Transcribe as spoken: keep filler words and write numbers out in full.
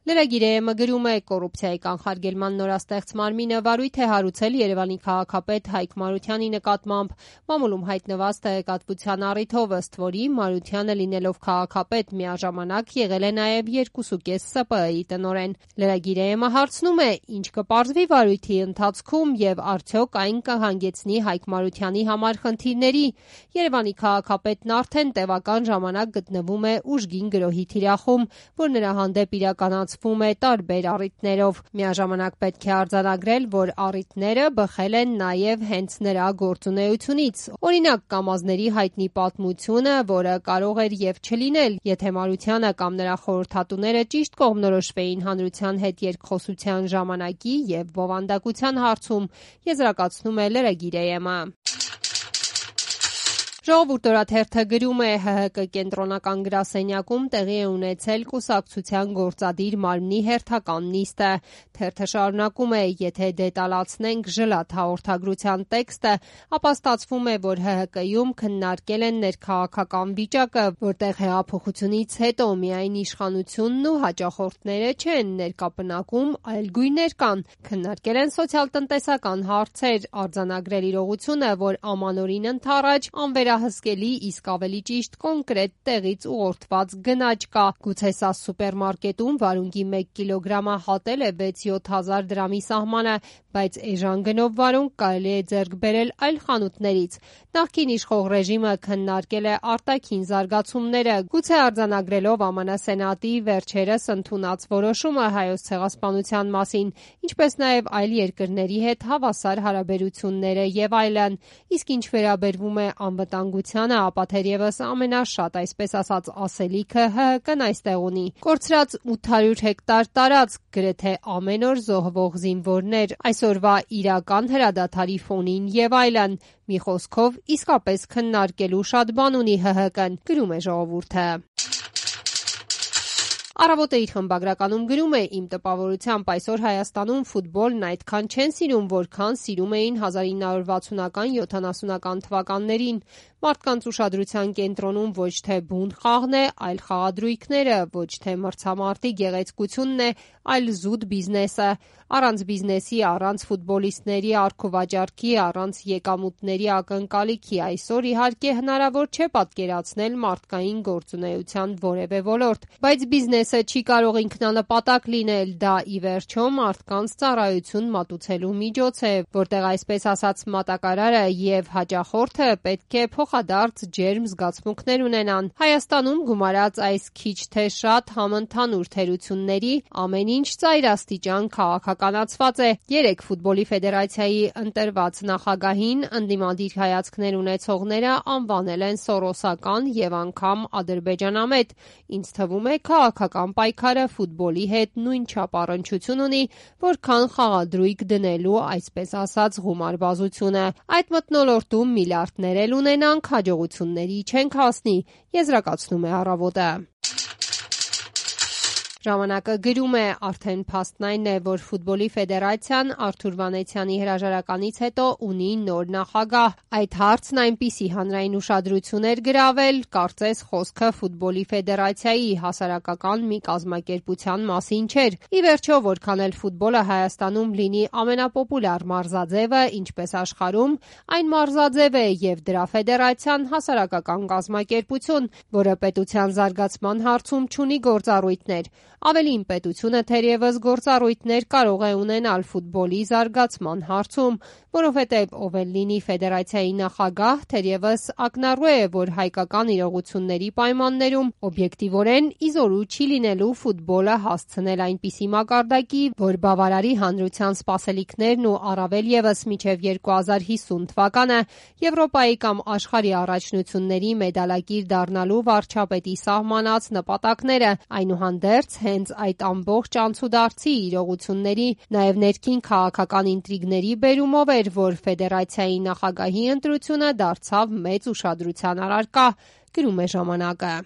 Լրագիր-ը գրում է կոռուպցիայի կանխարգելման նորաստեղծ մարմինը վարույթ է հարուցել Երևանի քաղաքապետ Հայկ Մարությանի նկատմամբ։ Մամուլում հայտնված տեղեկատվության առիթով, ըստ որի Մարությանը լինելով քաղաքապետ միաժամանակ եղել է նաև երկուսուկես Ս ՊԸ ի տնօրեն։ Լրագիր-ը հարցնում է՝ ինչ կպարզվի վարույթի ընթացքում եւ արդյոք այն կհանգեցնի Հայկ Մարությանի համար խնդիրների։ Երևանի քաղաքապետն արդեն տևական ժամանակ գտնվում է ուժգին գրոհի թիրախում, որ նրա հանդեպ իրականացվում է տարբեր առիթներով։ Միաժամանակ պետք է արձանագրել, որ առիթները բխել են նաև հենց նրա գործունեությունից։ Օրինակ, Կամազների հայտնի պատմությունը, որը կարող էր եւ չլինել, եթե Մարությանը կամ նրա խորհրդատուները ճիշտ կողմնորոշվեին հանրության հետ երկխոսության ժամանակի եւ բովանդակության հարցում, եզրակացնում է լրագիր-ը։ Ժողովուրդ օրաթերթը գրում է՝ Հ Հ Կ կենտրոնական գրասենյակում տեղի է ունեցել կուսակցության գործադիր մարմնի հերթական նիստը։ Թերթը շարունակում է՝ եթե դետալացնենք ժլատ հաղորդագրության տեքստը, ապա ստացվում է, որ Հ Հ Կ-ում քննարկել են ներքաղաքական վիճակը, որտեղ հեղափոխությունից հետո միայն իշխանությունն ու հաճախորդները չեն ներկա պնակում, այլ գույներ կան։ Քննարկել են սոցիալ-տնտեսական հարցեր, արձանագրել իրողությունը, որ ամանորին ընդառաջ անվերահսկելի, իսկ ավելի ճիշտ կոնկրետ տեղից ուղղորդված գնաճ կա։ Գուցե սա սուպերմարկետում վարունգի մեկ կիլոգրամը հատել է վեց-յոթ հազար դրամի սահմանը, բայց էժան գնով վարունգ կարելի է ձեռք բերել այլ խանութներից։ Նախկին իշխող ռեժիմը քննարկել է արտաքին զարգացումները, գուցե արձանագրելով Է Մ Ն Սենատի վերջերս ընդունած որոշումը Հայոց ցեղասպանության մասին, ինչպես նաև այլ երկրների հետ հավասար հարաբերությունները եւ այլն։ Իսկ ինչ վերաբերվում է անվտանգությանը, ապա թերևս ամենաշատ, այսպես ասած, ասելիքը Հ Հ Կ-ն այստեղ ունի։ Կորցրած ութ հարյուր հեկտար տարածք, գրեթե ամեն օր զոհվող զինվորներ, այսօրվա իրական հրադադարի ֆոնին եւ այլն։ Մի խոսքով, իսկապես քննարկելու շատ բան ունի Հ Հ Կ-ն, գրում է Ժողովուրդը։ Առավոտը իր խմբագրականում գրում է՝ իմ տպավորությամբ այսօր Հայաստանում ֆուտբոլն այդքան չեն սիրում, որքան սիրում էին հազար ինը հարյուր վաթսունական յոթանասունական թվականներին։ Մարդկանց ուշադրության կենտրոնում ոչ թե բուն խաղն է, այլ խաղադրույքները, ոչ թե մրցամարտի գեղեցկությունն է, այլ զուտ բիզնեսը։ Առանց բիզնեսի, առանց ֆուտբոլիստների առքուվաճառքի, առանց եկամուտների ակնկալիքի այսօր իհարկե հնարավոր չէ պատկերացնել մարդկային գործունեության որևէ ոլորտ, բայց բիզնեսը չի կարող ինքնանպատակ լինել, դա ի վերջո մարդկանց ծառայություն մատուցելու միջոց է, որտեղ այսպես ասած մատակարարը եւ հաճախորդը պետք է փոխադարձ ջերմ զգացմունքներ ունենան։ Հայաստանում գումարած այս քիչ թե շատ համընդհանուր թերությունների ամեն ինչ ծայրաստիճան քաղաքականացված է։ Երեկ ֆուտբոլի ֆեդերացիայի ընտրված նախագահին ընդդիմադիր հայացքներ ունեցողները անվանել են սորոսական եւ անգամ ադրբեջանամետ։ Ինձ թվում է քաղաքական պայքարը ֆուտբոլի հետ նույնչափ առնչություն ունի, որքան խաղադրույք դնելու, այսպես ասած, գումարբազությունը։ Այդ մթնոլորտում միլիարդներ էլ ունենանք, հաջողությունների չենք հասնի, եզրակացնում է Առավոտը։ Ժամանակը գրում է՝ արդեն փաստն այն է, որ ֆուտբոլի ֆեդերացիան Արթուր Վանեցյանի հրաժարականից հետո ունի նոր նախագահ։ Այդ հարցն այնպիսի հանրային ուշադրություն էր գրավել, կարծես խոսքը ֆուտբոլի ֆեդերացիայի հասարակական մի կազմակերպության մասին չէր։ Ի վերջո, որքան էլ ֆուտբոլը Հայաստանում լինի ամենապոպուլյար մարզաձևը, ինչպես աշխարհում, այն մարզաձև է եւ դրա ֆեդերացիան հասարակական կազմակերպություն, որը պետության զարգացման հարցում չունի գործառույթներ։ Ավելին, պետությունը թերևս գործառույթներ կարող է ունենալ ֆուտբոլի զարգացման հարցում, որովհետև ով էլ լինի ֆեդերացիայի նախագահ, թերևս ակնառու է, որ հայկական իրողությունների պայմաններում օբյեկտիվորեն իզորու չի լինելու ֆուտբոլը հասցնել այնպիսի մակարդակի, որ բավարարի հանրության սպասելիքներն ու առավել ևս մինչև երկու հազար հիսուն թվականը Եվրոպայի կամ աշխարհի առաջնությունների մեդալակիր դառնալու վարչապետի սահմանած նպատակները, այնուհանդերձ հենց այդ ամբողջ անցուդարձի իրողությունների, նաև ներքին քաղաքական ինտրիգների բերումով էր, որ ֆեդերացիայի նախագահի ընտրությունը դարձավ մեծ ուշադրության առարկա, գրում է Ժամանակը։